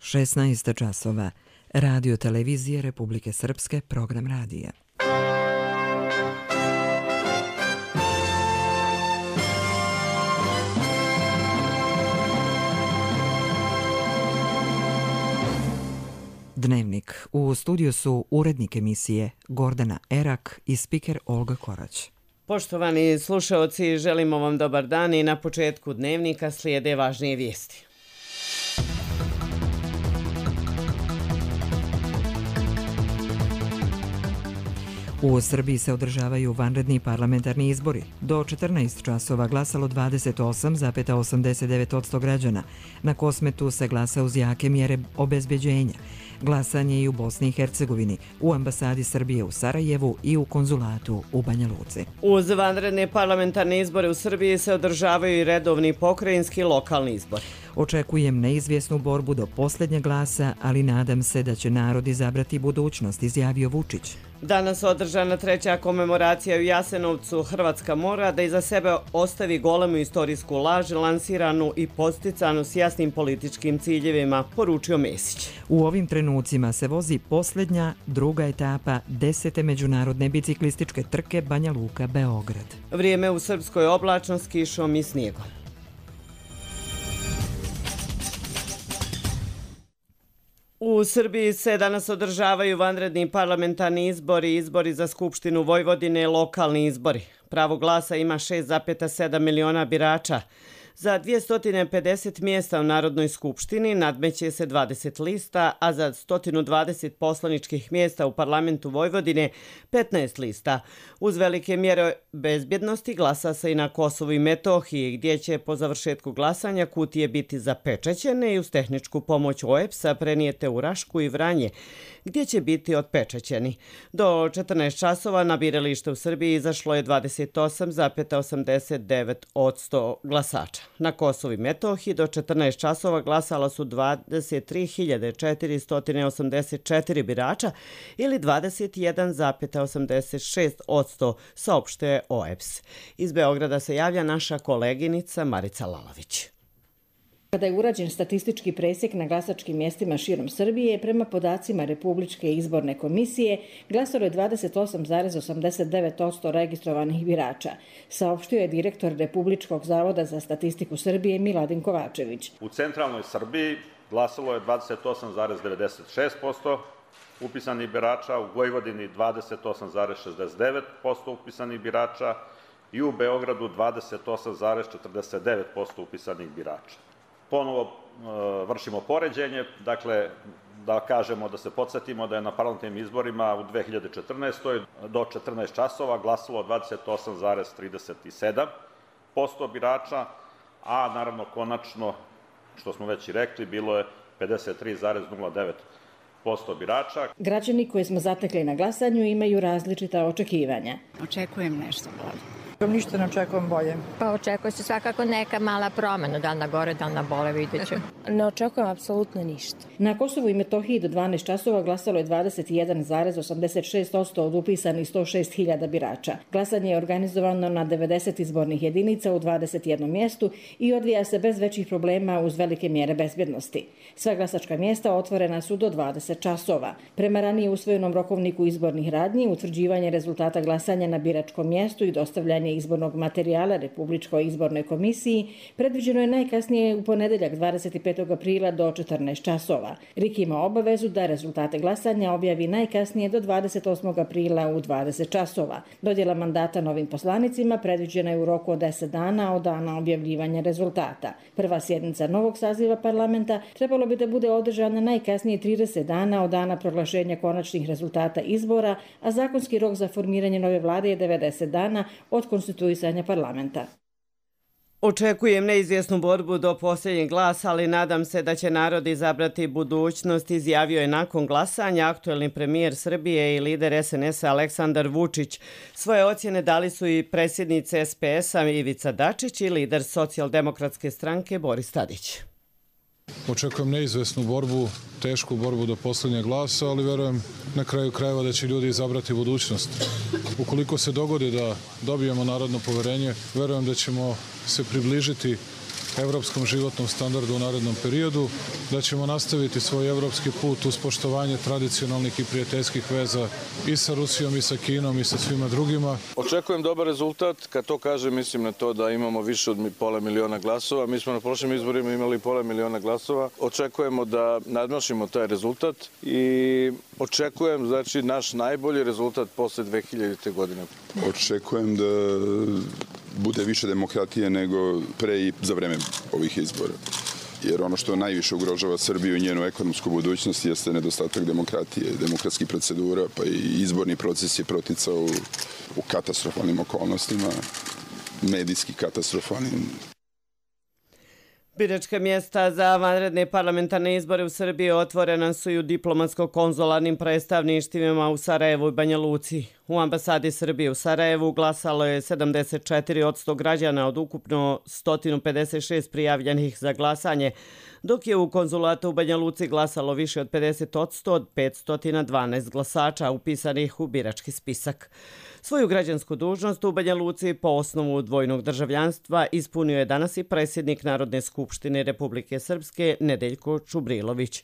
16 časova. Radio televizije Republike Srpske, program radija. Dnevnik. U studiju su urednik emisije Gordana Erak i spiker Olga Korać. Poštovani slušaoci, želimo vam dobar dan i na početku dnevnika slijede važnije vijesti. U Srbiji se održavaju vanredni parlamentarni izbori. Do 14 časova glasalo 28,89% građana. Na Kosmetu se glasa uz jake mjere obezbeđenja. Glasanje i u Bosni i Hercegovini, u ambasadi Srbije u Sarajevu i u konzulatu u Banja Luci. Uz vanredne parlamentarne izbore u Srbiji se održavaju i redovni pokrajinski lokalni izbori. Očekujem neizvjesnu borbu do posljednjeg glasa, ali nadam se da će narod izabrati budućnost, izjavio Vučić. Danas održana treća komemoracija u Jasenovcu. Hrvatska mora da iza sebe ostavi golemu istorijsku laž, lansiranu i posticanu s jasnim političkim ciljevima, poručio Mesić. U ovim trenucima se vozi posljednja, druga etapa 10. međunarodne biciklističke trke Banja Luka-Beograd. Vrijeme u Srpskoj oblačno s kišom i snijegom. U Srbiji se danas održavaju vanredni parlamentarni izbori, izbori za Skupštinu Vojvodine, lokalni izbori. Pravo glasa ima 6,7 miliona birača. Za 250 mjesta u Narodnoj skupštini nadmeće se 20 lista, a za 120 poslaničkih mjesta u parlamentu Vojvodine 15 lista. Uz velike mjere bezbjednosti glasa se i na Kosovu i Metohiji, gdje će po završetku glasanja kutije biti zapečaćene i uz tehničku pomoć OEBS-a prenijete u Rašku i Vranje, gdje će biti otpečaćeni. Do 14 časova na biralište u Srbiji izašlo je 28,89% glasača. Na Kosovu i Metohiji do 14 časova glasala su 23.484 birača ili 21,86%, saopštuje OEBS. Iz Beograda se javlja naša koleginica Marica Lalović. Kada je urađen statistički presjek na glasačkim mjestima širom Srbije, prema podacima Republičke izborne komisije, glasalo je 28,89% registrovanih birača, saopštio je direktor Republičkog zavoda za statistiku Srbije Miladin Kovačević. U centralnoj Srbiji glasalo je 28,96% upisanih birača, u Vojvodini 28,69% upisanih birača i u Beogradu 28,49% upisanih birača. Ponovo vršimo poređenje, dakle da kažemo, da se podsjetimo da je na parlamentarnim izborima u 2014. do 14 časova glasalo 28,37% birača, a naravno konačno, što smo već i rekli, bilo je 53,09% birača. Građani koje smo zatekli na glasanju imaju različita očekivanja. Očekujem nešto bolje. Ništa ne očekujem bolje. Pa očekuje se svakako neka mala promjena, da li na gore, da li na bole, vidjet ću. Ne očekujem apsolutno ništa. Na Kosovu i Metohiji do 12 časova glasalo je 21,86% od upisanih 106.000 birača. Glasanje je organizovano na 90 izbornih jedinica u 21 mjestu i odvija se bez većih problema uz velike mjere bezbjednosti. Sva glasačka mjesta otvorena su do 20 časova. Prema ranije usvojenom rokovniku izbornih radnji, utvrđivanje rezultata glasanja na biračkom mjestu i dostavljanje izbornog materijala Republičkoj izbornoj komisiji predviđeno je najkasnije u ponedeljak 25. aprila do 14 časova. RIK ima obavezu da rezultate glasanja objavi najkasnije do 28. aprila u 20 časova. Dodjela mandata novim poslanicima predviđena je u roku od 10 dana od dana objavljivanja rezultata. Prva sjednica novog saziva parlamenta trebalo bi da bude održana najkasnije 30 dana od dana proglašenja konačnih rezultata izbora, a zakonski rok za formiranje nove vlade je 90 dana od konstituisanja parlamenta. Očekujem neizvjesnu borbu do posljednjeg glasa, ali nadam se da će narod izabrati budućnost, izjavio je nakon glasanja aktuelni premijer Srbije i lider SNS-a Aleksandar Vučić. Svoje ocjene dali su i predsjednice SPS-a Ivica Dačić i lider Socijaldemokratske stranke Boris Tadić. Očekujem neizvesnu borbu, tešku borbu do posljednjeg glasa, ali verujem na kraju krajeva da će ljudi izabrati budućnost. Ukoliko se dogodi da dobijemo narodno poverenje, verujem da ćemo se približiti evropskom životnom standardu u narednom periodu, da ćemo nastaviti svoj evropski put uz poštovanje tradicionalnih i prijateljskih veza i sa Rusijom i sa Kinom i sa svima drugima. Očekujem dobar rezultat. Kad to kažem, mislim na to da imamo više od pola miliona glasova. Mi smo na prošlim izborima imali pola miliona glasova. Očekujemo da nadmašimo taj rezultat i očekujem, znači, naš najbolji rezultat posle 2000. godine. Očekujem da bude više demokratije nego pre i za vreme ovih izbora. Jer ono što najviše ugrožava Srbiju i njenu ekonomsku budućnost jeste nedostatak demokratije, demokratskih procedura, pa i izborni proces je proticao u katastrofalnim okolnostima, medijski katastrofalnim. Biračka mjesta za vanredne parlamentarne izbore u Srbiji otvorena su i u diplomatsko-konzularnim predstavništvima u Sarajevu i Banja Luci. U ambasadi Srbije u Sarajevu glasalo je 74% građana od ukupno 156 prijavljenih za glasanje, dok je u konzulatu u Banja Luci glasalo više od 50% od 512 glasača upisanih u birački spisak. Svoju građansku dužnost u Banja Luci po osnovu dvojnog državljanstva ispunio je danas i predsjednik Narodne skupštine Republike Srpske Nedeljko Čubrilović.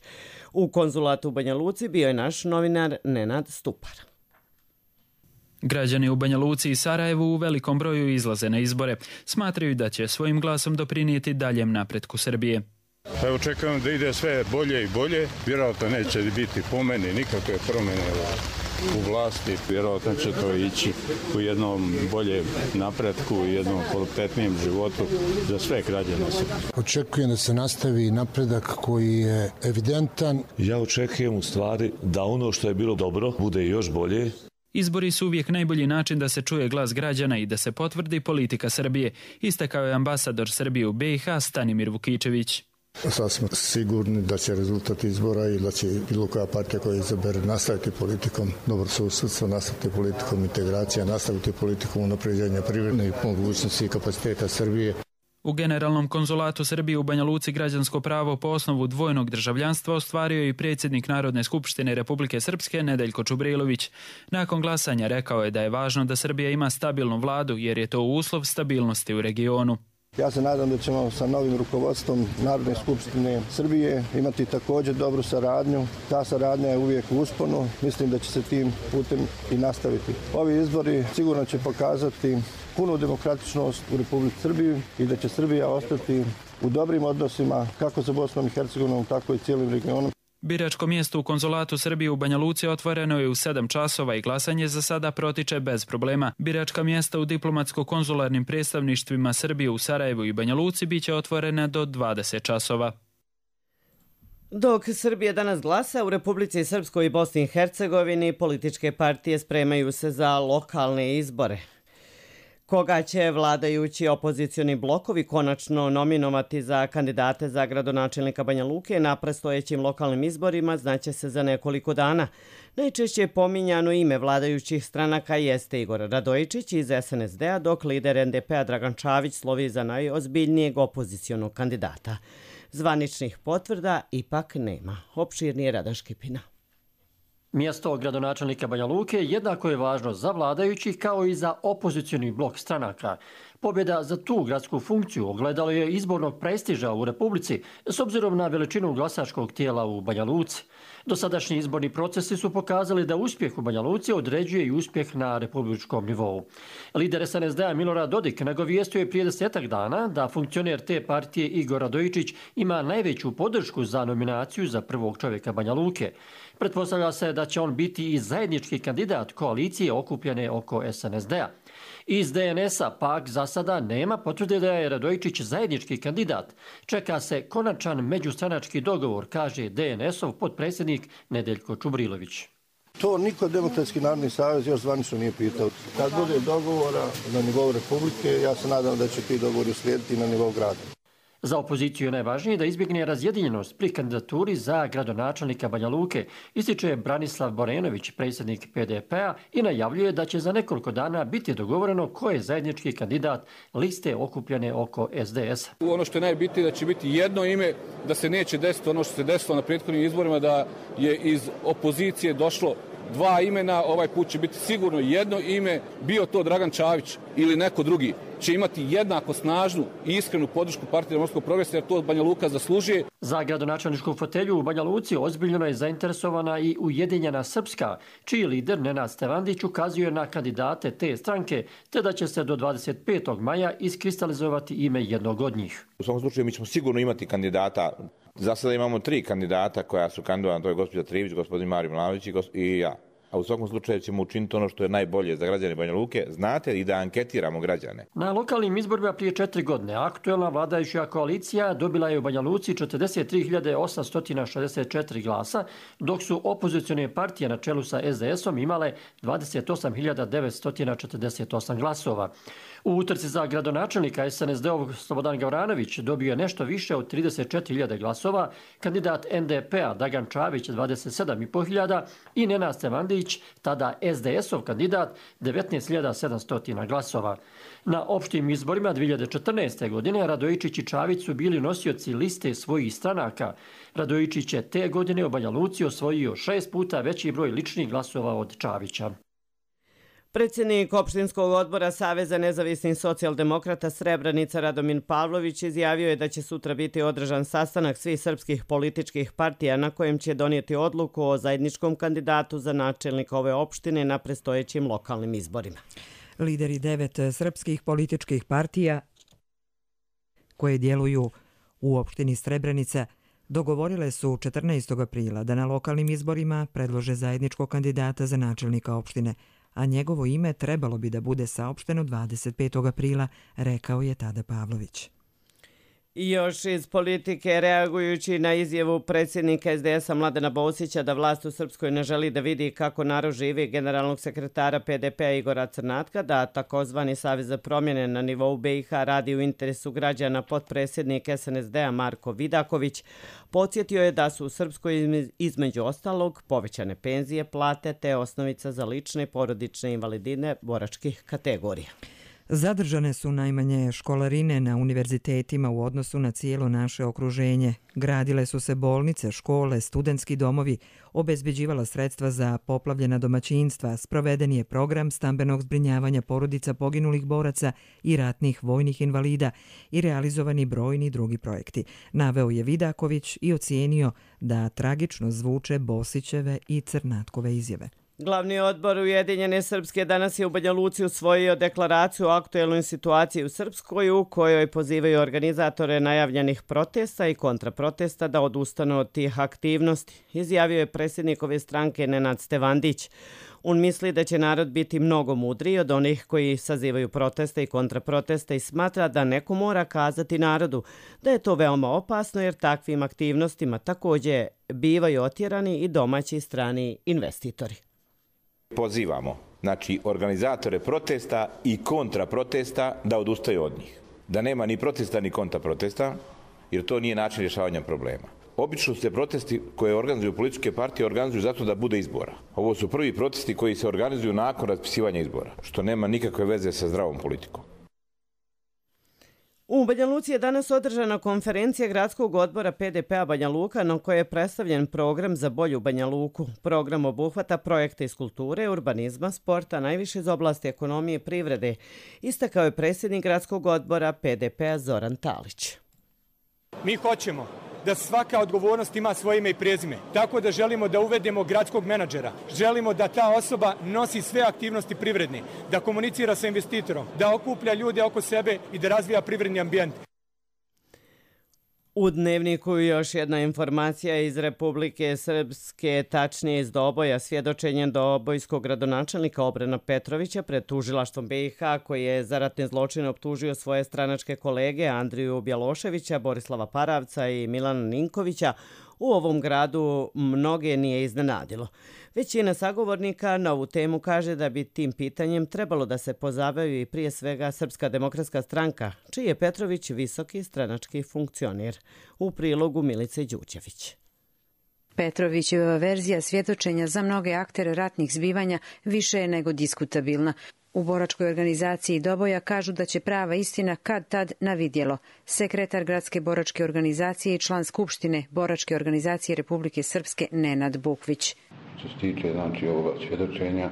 U konzulatu u Banja Luci bio je naš novinar Nenad Stupar. Građani u Banja Luci i Sarajevu u velikom broju izlaze na izbore. Smatraju da će svojim glasom doprinijeti daljem napretku Srbije. Evo, čekam da ide sve bolje i bolje. Vjerojatno neće biti po meni nikakve promjene u vlasti. Vjerojatno će to ići u jednom boljem napretku, u jednom kvalitetnijem životu za sve građane. Očekujem da se nastavi napredak koji je evidentan. Ja očekujem u stvari da ono što je bilo dobro bude još bolje. Izbori su uvijek najbolji način da se čuje glas građana i da se potvrdi politika Srbije, istakao je ambasador Srbije u BiH Stanimir Vukičević. Sad smo sigurni da će rezultat izbora i da će bilo koja partija koja izabere nastaviti politikom dobrosusjedstva, nastaviti politikom integracija, nastaviti politikom unapređenja privredne mogućnosti i kapaciteta Srbije. U Generalnom konzulatu Srbije u Banja Luci građansko pravo po osnovu dvojnog državljanstva ostvario je i predsjednik Narodne skupštine Republike Srpske Nedeljko Čubrilović. Nakon glasanja rekao je da je važno da Srbija ima stabilnu vladu jer je to uslov stabilnosti u regionu. Ja se nadam da ćemo sa novim rukovodstvom Narodne skupštine Srbije imati također dobru saradnju. Ta saradnja je uvijek u usponu. Mislim da će se tim putem i nastaviti. Ovi izbori sigurno će pokazati punu demokratičnost u Republici Srbiji i da će Srbija ostati u dobrim odnosima kako sa Bosnom i Hercegovinom, tako i cijelim regionom. Biračko mjesto u konzulatu Srbije u Banja Luci otvoreno je u 7 časova i glasanje za sada protiče bez problema. Biračka mjesta u diplomatsko-konzularnim predstavništvima Srbije u Sarajevu i Banja Luci biće otvorena do 20 časova. Dok Srbija danas glasa, u Republici Srpskoj i Bosni i Hercegovini političke partije spremaju se za lokalne izbore. Koga će vladajući opozicioni blokovi konačno nominovati za kandidate za gradonačelnika Banja Luke na predstojećim lokalnim izborima znaće se za nekoliko dana. Najčešće pominjano ime vladajućih stranaka jeste Igor Radojičić iz SNSD-a, dok lider NDP-a Dragan Čavić slovi za najozbiljnijeg opozicionog kandidata. Zvaničnih potvrda ipak nema. Opširnije Rada Škipina. Mjesto gradonačelnika Banja Luke jednako je važno za vladajućih kao i za opozicioni blok stranaka. Pobjeda za tu gradsku funkciju ogledalo je izbornog prestiža u Republici s obzirom na veličinu glasačkog tijela u Banja Luci. Dosadašnji izborni procesi su pokazali da uspjeh u Banja Luci određuje i uspjeh na republičkom nivou. Lider SNSD-a Milorad Dodik nagovijestio je prije 10 dana da funkcioner te partije Igor Radojičić ima najveću podršku za nominaciju za prvog čovjeka Banja Luke. Pretpostavlja se da će on biti i zajednički kandidat koalicije okupljene oko SNSD-a. Iz DNS-a pak za sada nema potvrde da je Radojičić zajednički kandidat. Čeka se konačan međustranački dogovor, kaže DNS-ov potpredsjednik Nedeljko Čubrilović. To niko Demokratski narodni savez još zvanično nije pitao. Kad bude dogovora na nivou Republike, ja se nadam da će ti dogovori uslijediti na nivou grada. Za opoziciju je najvažnije da izbjegne razjedinjenost pri kandidaturi za gradonačelnika Banja Luke, ističe Branislav Borenović, predsjednik PDP-a, i najavljuje da će za nekoliko dana biti dogovoreno ko je zajednički kandidat liste okupljene oko SDS. Ono što je najbitnije da će biti jedno ime, da se neće desiti ono što se desilo na prethodnim izborima, da je iz opozicije došlo 2 imena, ovaj put će biti sigurno jedno ime, bio to Dragan Čavić ili neko drugi. će imati jednako snažnu i iskrenu podršku Partije demokratskog progresa, jer to Banja Luka zaslužuje. Za gradonačelničku fotelju u Banja Luci ozbiljno je zainteresovana i Ujedinjena Srpska, čiji lider Nenad Stevandić ukazuje na kandidate te stranke, te da će se do 25. maja iskristalizovati ime jednog od njih. U svakom slučaju mi ćemo sigurno imati kandidata. Za sada imamo 3 kandidata koja su kandidovana, to je gospođa Trivić, gospodin Mario Milanović i ja. A u svakom slučaju ćemo učiniti ono što je najbolje za građane Banja Luke. Znate, i da anketiramo građane. Na lokalnim izborima prije 4 godine aktuelna vladajuća koalicija dobila je u Banja Luci 43.864 glasa, dok su opozicione partije na čelu sa SDS-om imale 28.948 glasova. U utrci za gradonačelnika SNSD-ov Slobodan Gavranović dobio je nešto više od 34.000 glasova, kandidat NDP-a Dagan Čavić 27.500 i Nenad Stevandić, tada SDS-ov kandidat, 19.700 glasova. Na opštim izborima 2014. godine Radojičić i Čavić su bili nosioci liste svojih stranaka. Radojičić je te godine u Banja Luci osvojio 6 puta veći broj ličnih glasova od Čavića. Predsjednik opštinskog odbora Saveza nezavisnih socijaldemokrata Srebrenica Radomin Pavlović izjavio je da će sutra biti održan sastanak svih srpskih političkih partija na kojem će donijeti odluku o zajedničkom kandidatu za načelnika ove opštine na predstojećim lokalnim izborima. Lideri 9 srpskih političkih partija koje djeluju u opštini Srebrenica dogovorile su 14. aprila da na lokalnim izborima predlože zajedničkog kandidata za načelnika opštine, a njegovo ime trebalo bi da bude saopšteno 25. aprila, rekao je tada Pavlović. I još iz politike, reagujući na izjavu predsjednika SDS-a Mladena Bosića da vlast u Srpskoj ne želi da vidi kako narod živi, generalnog sekretara PDP-a Igora Crnatka, da takozvani Savez za promjene na nivou BiH radi u interesu građana, potpredsjednik SNSD-a Marko Vidaković podsjetio je da su u Srpskoj između ostalog povećane penzije, plate te osnovica za lične i porodične invalidine boračkih kategorija. Zadržane su najmanje školarine na univerzitetima u odnosu na cijelo naše okruženje. Gradile su se bolnice, škole, studentski domovi, obezbeđivala sredstva za poplavljena domaćinstva, sproveden je program stambenog zbrinjavanja porodica poginulih boraca i ratnih vojnih invalida i realizovani brojni drugi projekti. Naveo je Vidaković i ocijenio da tragično zvuče Bosićeve i Crnatkove izjave. Glavni odbor Ujedinjene Srpske danas je u Banja Luci usvojio deklaraciju o aktuelnoj situaciji u Srpskoj u kojoj pozivaju organizatore najavljenih protesta i kontraprotesta da odustanu od tih aktivnosti, izjavio je predsjednik ove stranke Nenad Stevandić. On misli da će narod biti mnogo mudriji od onih koji sazivaju proteste i kontraproteste i smatra da neko mora kazati narodu da je to veoma opasno jer takvim aktivnostima također bivaju otjerani i domaći i strani investitori. Pozivamo, znači, organizatore protesta i kontraprotesta da odustaju od njih. Da nema ni protesta ni kontraprotesta, jer to nije način rješavanja problema. Obično se protesti koje organizuju političke partije organizuju zato da bude izbora. Ovo su prvi protesti koji se organizuju nakon raspisivanja izbora, što nema nikakve veze sa zdravom politikom. U Banja Luci je danas održana konferencija gradskog odbora PDP-a Banja Luka na kojoj je predstavljen program za bolju Banja Luku. Program obuhvata projekte iz kulture, urbanizma, sporta, najviše iz oblasti ekonomije i privrede, istakao je predsjednik gradskog odbora PDP-a Zoran Talić. Mi hoćemo da svaka odgovornost ima svoje ime i prezime. Tako da želimo da uvedemo gradskog menadžera. Želimo da ta osoba nosi sve aktivnosti privredne, da komunicira sa investitorom, da okuplja ljude oko sebe i da razvija privredni ambijent. U Dnevniku još jedna informacija iz Republike Srpske, tačnije iz Doboja, svjedočenjem dobojskog gradonačelnika Obrena Petrovića pred tužilaštvom BiH koji je za ratne zločine optužio svoje stranačke kolege Andriju Bjeloševića, Borislava Paravca i Milana Ninkovića, u ovom gradu mnoge nije iznenadilo. Većina sagovornika na ovu temu kaže da bi tim pitanjem trebalo da se pozabavi i prije svega Srpska demokratska stranka, čiji je Petrović visoki stranački funkcioner. U prilogu Milice Đuđević. Petrovićeva verzija svjedočenja za mnoge aktere ratnih zbivanja više je nego diskutabilna. U boračkoj organizaciji Doboja kažu da će prava istina kad tad na vidjelo. Sekretar gradske boračke organizacije i član Skupštine boračke organizacije Republike Srpske Nenad Bukvić. Što se tiče ovoga svjedočenja,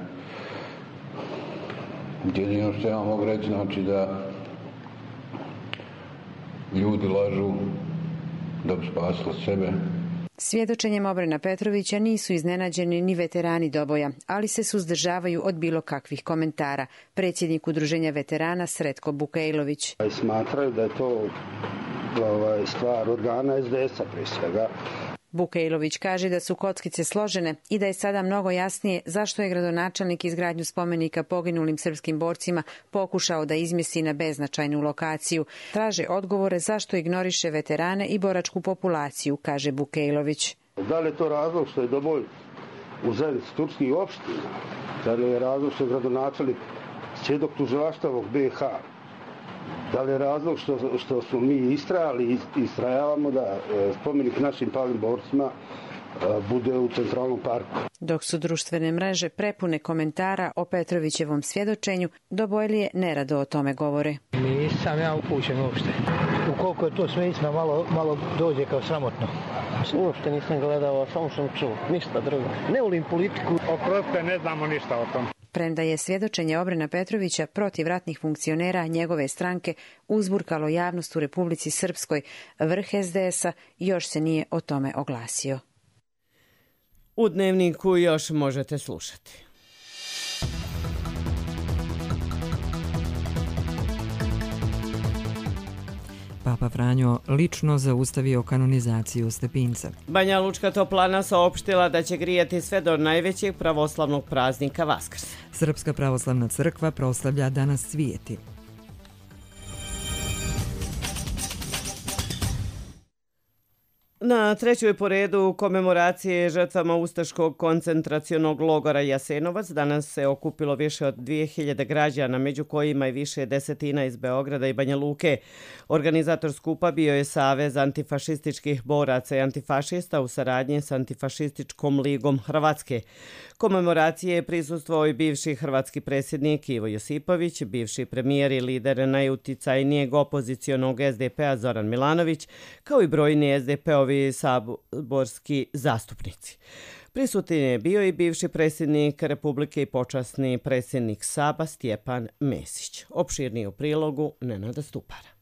jedino što ja mogu reći da ljudi lažu da bi spasili sebe. Svjedočenjem Obrena Petrovića nisu iznenađeni ni veterani Doboja, ali se suzdržavaju od bilo kakvih komentara. Predsjednik Udruženja veterana Sretko Bukejlović. Smatraju da je to stvar organa SDS-a prije svega. Bukejlović kaže da su kockice složene i da je sada mnogo jasnije zašto je gradonačelnik izgradnju spomenika poginulim srpskim borcima pokušao da izmjesti na beznačajnu lokaciju. Traže odgovore zašto ignoriše veterane i boračku populaciju, kaže Bukejlović. Da li je to razlog što je Doboj u zajednici turskih opština? Da li je razlog što je gradonačelnik svjedok tužilaštva BiH? Da li je razlog što smo mi istrajali i istrajavamo da spomenik našim palim borcima bude u Centralnom parku? Dok su društvene mreže prepune komentara o Petrovićevom svjedočenju, Dobojlije nerado o tome govore. Nisam ja upućen uopšte. Ukoliko je to sve istina, malo dođe kao sramotno. Uopšte nisam gledao, samo sam čuo. Ništa drugo. Ne volim politiku. Oprostite, ne znamo ništa o tom. Premda je svjedočenje Obrena Petrovića protiv ratnih funkcionera njegove stranke uzburkalo javnost u Republici Srpskoj, vrh SDS-a još se nije o tome oglasio. U Dnevniku još možete slušati. Papa Franjo lično zaustavio kanonizaciju Stepinca. Banja Lučka toplana saopštila da će grijati sve do najvećeg pravoslavnog praznika Vaskrs. Srpska pravoslavna crkva proslavlja Danas svijeti. Na trećoj po redu komemoracije žrtvama ustaškog koncentracionog logora Jasenovac danas se okupilo više od 2000 građana, među kojima i više desetina iz Beograda i Banja Luke. Organizator skupa bio je Savez antifašističkih boraca i antifašista u saradnji s Antifašističkom ligom Hrvatske. Komemoracije je prisustvovao i bivši hrvatski predsjednik Ivo Josipović, bivši premijer i lider najuticajnijeg opozicionog SDP-a Zoran Milanović, kao i brojni SDP-ovi saborski zastupnici. Prisutan je bio i bivši predsjednik Republike i počasni predsjednik Saba Stjepan Mesić. Opširnije u prilogu Nenada Stupara.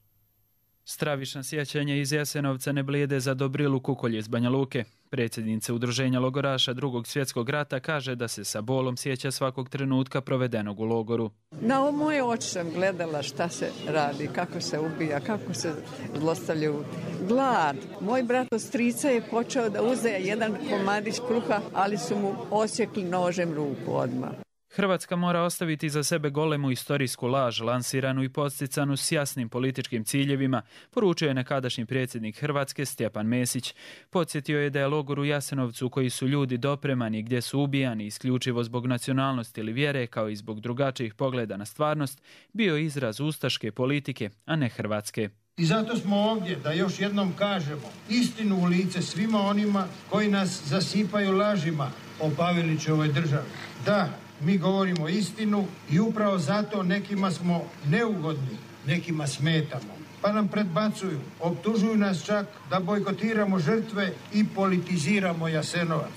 Stravična sjećanja iz Jasenovca ne blijede za Dobrilu Kukolj iz Banja Luke. Predsjednica Udruženja logoraša Drugog svjetskog rata kaže da se sa bolom sjeća svakog trenutka provedenog u logoru. Na moje oči sam gledala šta se radi, kako se ubija, kako se zlostavljaju. Glad. Moj brat od strica je počeo da uze jedan komadić kruha, ali su mu osjekli nožem ruku odmah. Hrvatska mora ostaviti za sebe golemu istorijsku laž, lansiranu i podsticanu s jasnim političkim ciljevima, poručio je nekadašnji predsjednik Hrvatske Stjepan Mesić. Podsjetio je da je logor u Jasenovcu, koji su ljudi dopremani, gdje su ubijani isključivo zbog nacionalnosti ili vjere, kao i zbog drugačijih pogleda na stvarnost, bio izraz ustaške politike, a ne hrvatske. I zato smo ovdje da još jednom kažemo istinu u lice svima onima koji nas zasipaju lažima o Pavelićevoj državi. Da, mi govorimo istinu i upravo zato nekima smo neugodni, nekima smetamo. Pa nam predbacuju, optužuju nas čak da bojkotiramo žrtve i politiziramo Jasenovac.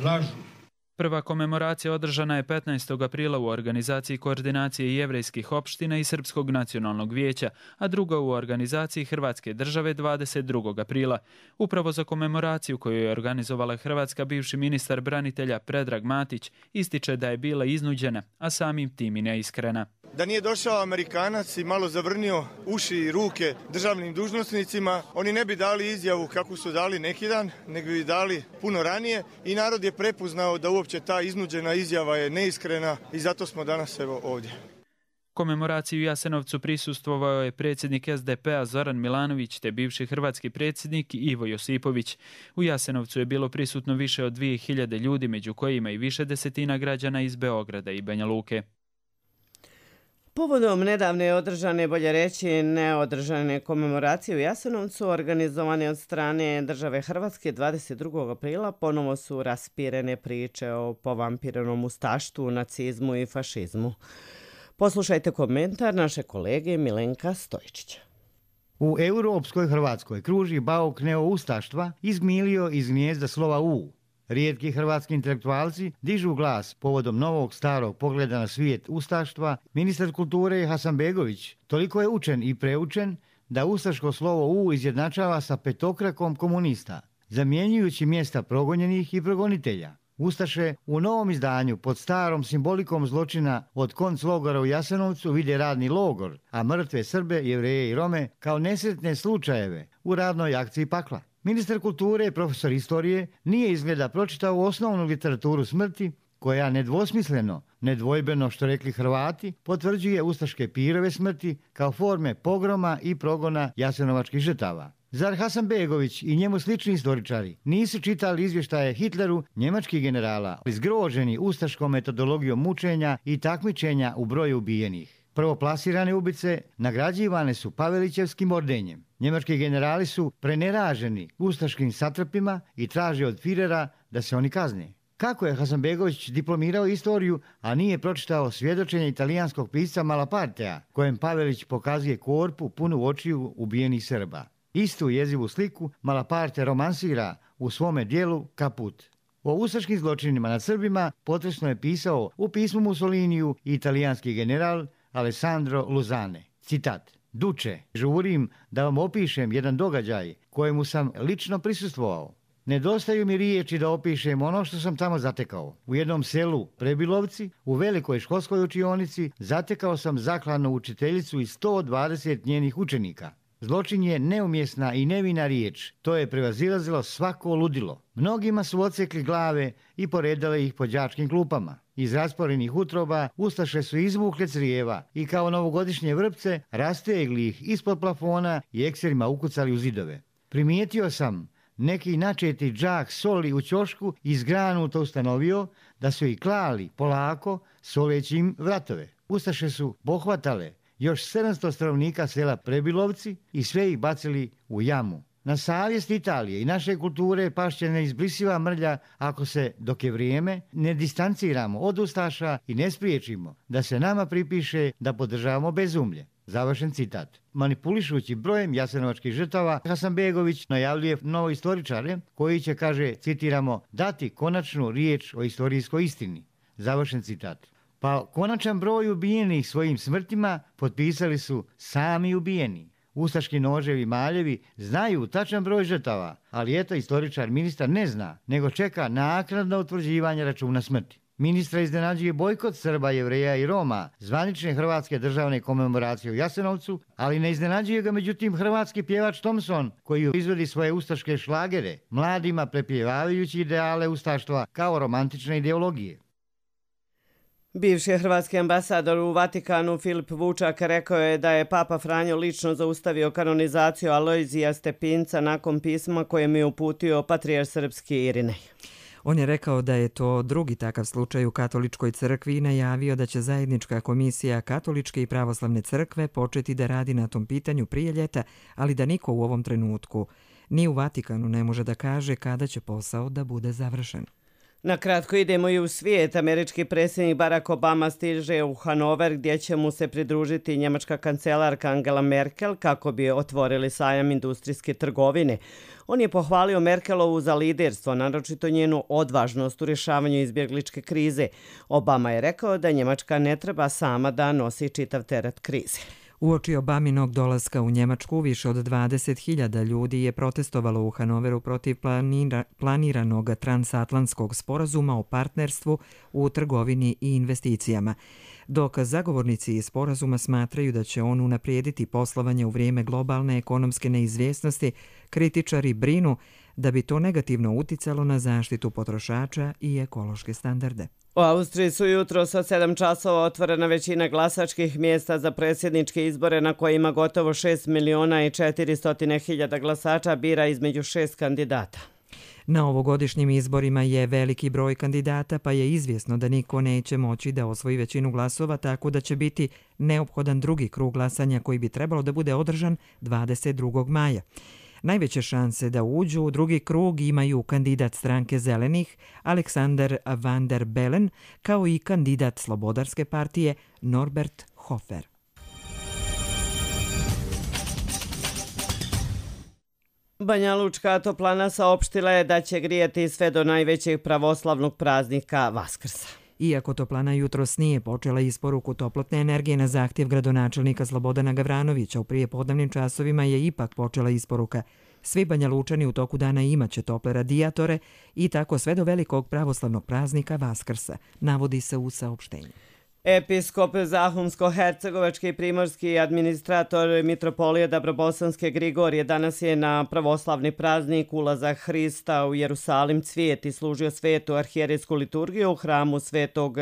Lažu. Prva komemoracija održana je 15. aprila u organizaciji koordinacije jevrejskih opština i Srpskog nacionalnog vijeća, a druga u organizaciji Hrvatske države 22. aprila. Upravo za komemoraciju koju je organizovala Hrvatska, bivši ministar branitelja Predrag Matić ističe da je bila iznuđena, a samim tim i neiskrena. Da nije došao Amerikanac i malo zavrnio uši i ruke državnim dužnosnicima, oni ne bi dali izjavu kako su dali neki dan, nego bi dali puno ranije i narod je prepoznao da uopće ta iznuđena izjava je neiskrena i zato smo danas ovdje. Komemoraciji u Jasenovcu prisustvovao je predsjednik SDP-a Zoran Milanović te bivši hrvatski predsjednik Ivo Josipović. U Jasenovcu je bilo prisutno više od 2000 ljudi, među kojima i više desetina građana iz Beograda i Banja Luke. Povodom nedavne održane, bolje reći neodržane komemoracije u Jasenovcu, organizovane od strane države Hrvatske 22. aprila, ponovo su raspirene priče o povampiranom ustaštvu, nacizmu i fašizmu. Poslušajte komentar naše kolege Milenka Stojčića. U europskoj Hrvatskoj kruži bauk neoustaštva izmilio iz gnijezda slova U. Rijetki hrvatski intelektualci dižu glas povodom novog starog pogleda na svijet ustaštva. Ministar kulture Hasanbegović toliko je učen i preučen da ustaško slovo U izjednačava sa petokrakom komunista, zamjenjujući mjesta progonjenih i progonitelja. Ustaše u novom izdanju pod starom simbolikom zločina od konclogora u Jasenovcu vide radni logor, a mrtve Srbe, Jevreje i Rome kao nesretne slučajeve u radnoj akciji pakla. Ministar kulture i profesor istorije nije izgleda pročitao osnovnu literaturu smrti, koja nedvosmisleno, nedvojbeno što rekli Hrvati, potvrđuje ustaške pirove smrti kao forme pogroma i progona jasenovačkih žrtava. Zar Hasanbegović i njemu slični istoričari nisu čitali izvještaje Hitleru njemačkih generala, zgroženi ustaškom metodologijom mučenja i takmičenja u broju ubijenih? Prvoplasirane ubice nagrađivane su Pavelićevskim ordenjem. Njemački generali su preneraženi ustaškim satrapima i traže od Firera da se oni kazne. Kako je Hasanbegović diplomirao istoriju, a nije pročitao svjedočenje italijanskog pisca Malapartea, kojem Pavelić pokazuje korpu punu očiju ubijenih Srba? Istu jezivu sliku Malaparte romansira u svome dijelu Kaput. O ustaškim zločinima nad Srbima potresno je pisao u pismu Mussoliniju i italijanski general Alessandro Luzane. Citat: Duče, žurim da vam opišem jedan događaj kojemu sam lično prisustvovao. Nedostaju mi riječi da opišem ono što sam tamo zatekao. U jednom selu Prebilovci, u velikoj školskoj učionici, zatekao sam zaklanu učiteljicu i 120 njenih učenika. Zločin je neumjesna i nevina riječ, to je prevazilazilo svako ludilo. Mnogima su odsekli glave i poredale ih po đačkim klupama. Iz rasporenih utroba ustaše su izvukle crijeva i kao novogodišnje vrpce rastegli ih ispod plafona i ekserima ukucali u zidove. Primijetio sam neki načeti džak soli u ćošku izgranuto ustanovio da su ih klali polako soleći im vratove. Ustaše su pohvatale još 700 stanovnika sela Prebilovci i sve ih bacili u jamu. Na savjest Italije i naše kulture pašće neizbrisiva mrlja ako se, dok je vrijeme, ne distanciramo od ustaša i ne spriječimo da se nama pripiše da podržavamo bezumlje. Završen citat. Manipulišući brojem jasenovačkih žrtava, Hasanbegović najavljuje novoistoričare koji će, kaže, citiramo, dati konačnu riječ o istorijskoj istini. Završen citat. Pa konačan broj ubijenih svojim smrtima potpisali su sami ubijeni. Ustaški noževi maljevi znaju tačan broj žrtava, ali eto istoričar ministar ne zna, nego čeka naknadno utvrđivanje računa smrti. Ministra iznenađuje bojkot Srba, Jevreja i Roma, zvanične hrvatske državne komemoracije u Jasenovcu, ali ne iznenađuje ga međutim hrvatski pjevač Thompson, koji izvodi svoje ustaške šlagere, mladima prepjevavajući ideale ustaštva kao romantične ideologije. Bivši hrvatski ambasador u Vatikanu Filip Vučak rekao je da je Papa Franjo lično zaustavio kanonizaciju Alojzija Stepinca nakon pisma kojem je uputio patrijarh srpski Irinej. On je rekao da je to drugi takav slučaj u Katoličkoj crkvi i najavio da će zajednička komisija Katoličke i pravoslavne crkve početi da radi na tom pitanju prije ljeta, ali da niko u ovom trenutku ni u Vatikanu ne može da kaže kada će posao da bude završen. Na kratko idemo i u svijet. Američki predsjednik Barack Obama stiže u Hanover gdje će mu se pridružiti njemačka kancelarka Angela Merkel kako bi otvorili sajam industrijske trgovine. On je pohvalio Merkelovu za liderstvo, naročito njenu odvažnost u rješavanju izbjegličke krize. Obama je rekao da Njemačka ne treba sama da nosi čitav teret krize. Uoči Obaminog dolaska u Njemačku više od 20.000 ljudi je protestovalo u Hanoveru protiv planiranog transatlantskog sporazuma o partnerstvu u trgovini i investicijama. Dok zagovornici sporazuma smatraju da će on unaprijediti poslovanje u vrijeme globalne ekonomske neizvjesnosti, kritičari brinu da bi to negativno uticalo na zaštitu potrošača i ekološke standarde. U Austriji su jutros od 7 časova otvorena većina glasačkih mjesta za predsjedničke izbore na kojima gotovo 6.400.000 glasača bira između 6 kandidata. Na ovogodišnjim izborima je veliki broj kandidata, pa je izvjesno da niko neće moći da osvoji većinu glasova, tako da će biti neophodan drugi krug glasanja koji bi trebalo da bude održan 22. maja. Najveće šanse da uđu u drugi krug imaju kandidat stranke Zelenih Alexander van der Bellen kao i kandidat Slobodarske partije Norbert Hofer. Banjalučka toplana saopštila je da će grijati sve do najvećeg pravoslavnog praznika Vaskrsa. Iako toplana jutros nije počela isporuku toplotne energije na zahtjev gradonačelnika Slobodana Gavranovića, u prijepodnevnim časovima je ipak počela isporuka. Svi Banjalučani u toku dana imaće tople radijatore i tako sve do velikog pravoslavnog praznika Vaskrsa, navodi se u saopštenju. Episkop Zahumsko-hercegovački i primorski administrator mitropolije Dabrobosanske Grigorije danas je na pravoslavni praznik ulazak Hrista u Jerusalim cvijet i služio svetu arhijerejsku liturgiju u hramu svetog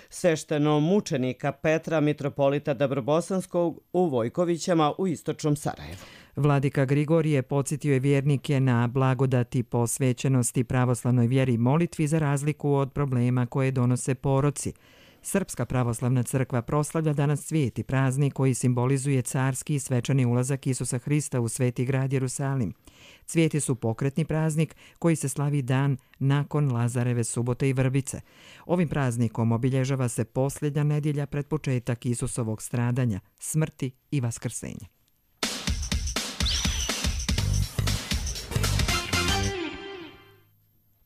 sveštenomučenika Petra mitropolita Dabrobosanskog u Vojkovićama u istočnom Sarajevu. Vladika Grigorije podsjetio je vjernike na blagodati posvećenosti pravoslavnoj vjeri i molitvi za razliku od problema koje donose poroci. Srpska pravoslavna crkva proslavlja danas cvijet i praznik koji simbolizuje carski i svečani ulazak Isusa Hrista u sveti grad Jerusalim. Cvijeti su pokretni praznik koji se slavi dan nakon Lazareve subote i vrbice. Ovim praznikom obilježava se posljednja nedjelja pred početak Isusovog stradanja, smrti i vaskrsenja.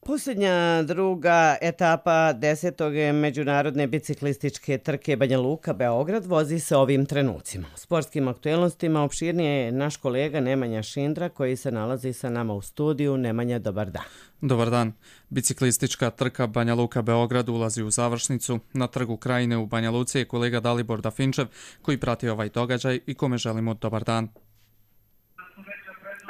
Posljednja druga etapa 10. međunarodne biciklističke trke Banja Luka-Beograd vozi se ovim trenucima. U sportskim aktuelnostima opširnije je naš kolega Nemanja Šindra koji se nalazi sa nama u studiju. Nemanja, dobar dan. Dobar dan. Biciklistička trka Banja Luka-Beograd ulazi u završnicu. Na trgu Krajine u Banja Luci je kolega Dalibor Dafinčev koji prati ovaj događaj i kome želimo dobar dan.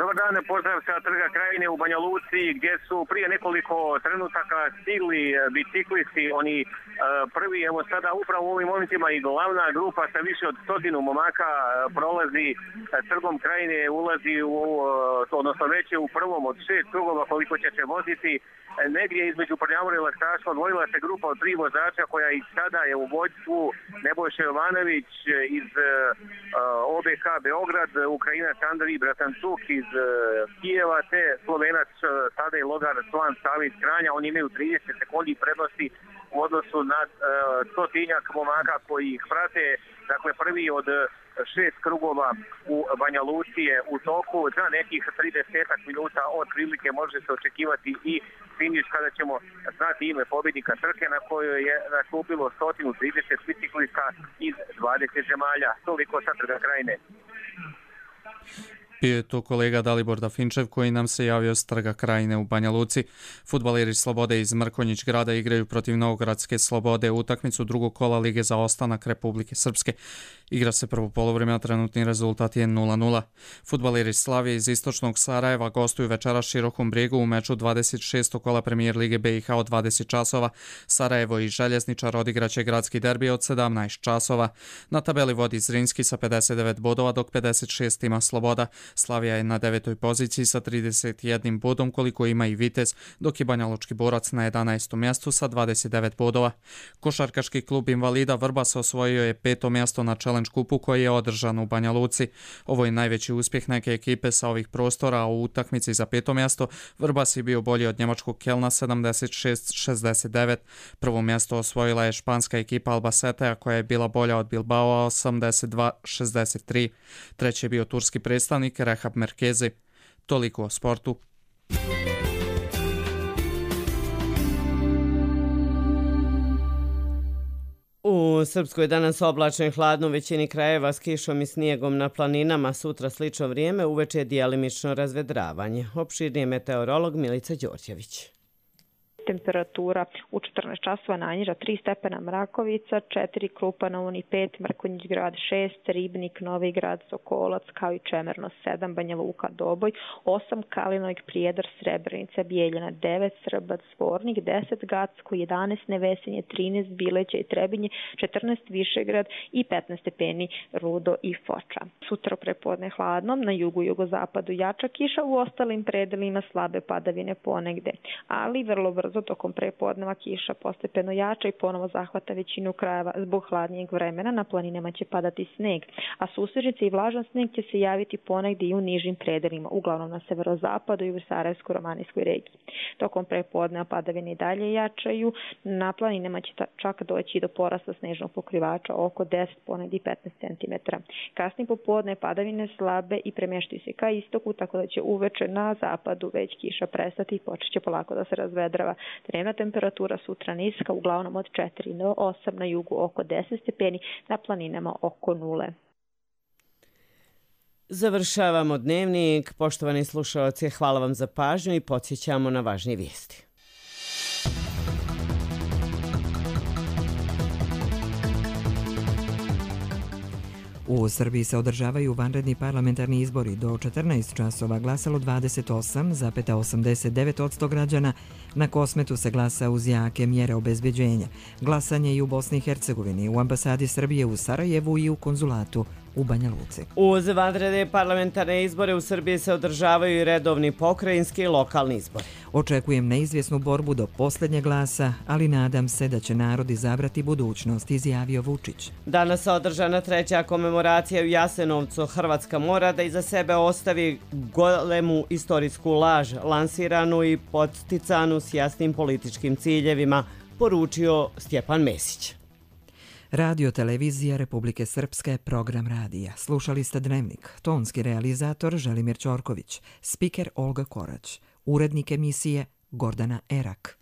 Dobar dan, pozdrav sa trga Krajine u Banja Luci gdje su prije nekoliko trenutaka stigli biciklisti, oni prvi, evo sada upravo u ovim momentima i glavna grupa sa više od 100 momaka prolazi trgom Krajine, ulazi odnosno već je u prvom od 6 krugova koliko će se voziti. Negdje između Prljavora i Laksaša odvojila se grupa od 3 vozača koja i sada je u vodstvu Nebojša Jovanović iz OBK Beograd, Ukrajinac Andrij Bratancuk iz Kijeva te Slovenac Tadej Logar Slan Savić Kranja. Oni imaju 30 sekundi prednosti u odnosu na stotinjak momaka koji ih prate. Dakle, prvi od 6 krugova u Banja Luci je u toku. Za nekih 30 minuta od prilike može se očekivati i finiš kada ćemo znati ime pobjednika trke na kojoj je nastupilo 130 biciklista iz 20 zemalja. Toliko sa trga Krajine. Bio je to kolega Dalibor Dafinčev koji nam se javio s trga Krajine u Banja Luci. Fudbaleri Slobode iz Mrkonjić grada igraju protiv Novogradske Slobode utakmicu drugog kola Lige za ostanak Republike Srpske. Igra se prvo poluvreme, a trenutni rezultat je 0:0. Fudbaleri Slavije iz istočnog Sarajeva gostuju večeras Širokom Brijegu u meču 26. kola Premijer Lige BiH od 20 časova. Sarajevo i Željezničar odigraće gradski derbi od 17 časova. Na tabeli vodi Zrinski sa 59 bodova, dok 56 ima Sloboda. Slavija je na 9. poziciji sa 31 bodom koliko ima i Vitez, dok je Banjalučki Borac na 11. mjestu sa 29 bodova. Košarkaški klub Invalida Vrbas osvojio je 5. mjesto na Challenge kupu koji je održan u Banja Luci. Ovo je najveći uspjeh neke ekipe sa ovih prostora, a u utakmici za 5. mjesto Vrbas je bio bolji od njemačkog Kelna 76-69. Prvo mjesto osvojila je španska ekipa Albacetea koja je bila bolja od Bilbao 82-63. Treći je bio turski predstavnik Rehab Merkezi. Toliko o sportu. U Srpskoj danas oblačno i hladno u većini krajeva s kišom i snijegom na planinama, sutra slično vrijeme, uveče je dijelimično razvedravanje. Opširnije meteorolog Milica Đorđević. Temperatura u 14 časova najniža 3 stepena Mrakovica, 4 Krupa na Uni 5, Mrkonjić grad 6, Ribnik, Novi grad, Sokolac, kao i Čemerno 7, Banja Luka, Doboj, 8 Kalinojk, Prijedor, Srebrenica, Bijeljina 9, Srbac, Zvornik 10, Gacko 11, Nevesinje 13, Bileća i Trebinje 14, Višegrad i 15 stepeni Rudo i Foča. Sutra prepodne hladno, na jugu i jugozapadu jača kiša, u ostalim predelima slabe padavine ponegde, ali vrlo brzo tokom prepodneva kiša postepeno jača i ponovo zahvata većinu krajeva. Zbog hladnijeg vremena na planinama će padati sneg, a susrežice i vlažan sneg će se javiti ponegdje i u nižim predelima, uglavnom na severozapadu i u Sarajevsko-Romanijskoj regiji. Tokom prepodneva padavine i dalje jačaju, na planinama će čak doći do porasta snežnog pokrivača oko 10, ponegdje 15 cm. Kasnije popodne padavine slabe i premještaju se ka istoku, tako da će uveče na zapadu već kiša prestati i počet će polako da se razvedrava. Dnevna temperatura sutra niska, uglavnom od 4 do 8, na jugu oko 10 stepeni, na planinama oko 0. Završavamo dnevnik. Poštovani slušalci, hvala vam za pažnju i podsjećamo na važnije vijesti. U Srbiji se održavaju vanredni parlamentarni izbori. Do 14 časova glasalo 28,89% građana. Na Kosmetu se glasa uz jake mjere obezbeđenja. Glasanje i u Bosni i Hercegovini, u ambasadi Srbije u Sarajevu i u konzulatu u Banja Luci. Uz vanredne parlamentarne izbore u Srbiji se održavaju i redovni pokrajinski i lokalni izbori. Očekujem neizvjesnu borbu do posljednjeg glasa, ali nadam se da će narod izabrati budućnost, izjavio Vučić. Danas je održana 3. komemoracija u Jasenovcu. Hrvatska mora da iza sebe ostavi golemu istorijsku laž, lansiranu i podsticanu s jasnim političkim ciljevima, poručio Stjepan Mesić. Radio Televizija Republike Srpske, program radija. Slušali ste Dnevnik. Tonski realizator Želimir Ćorković, spiker Olga Korać, urednik emisije Gordana Erak.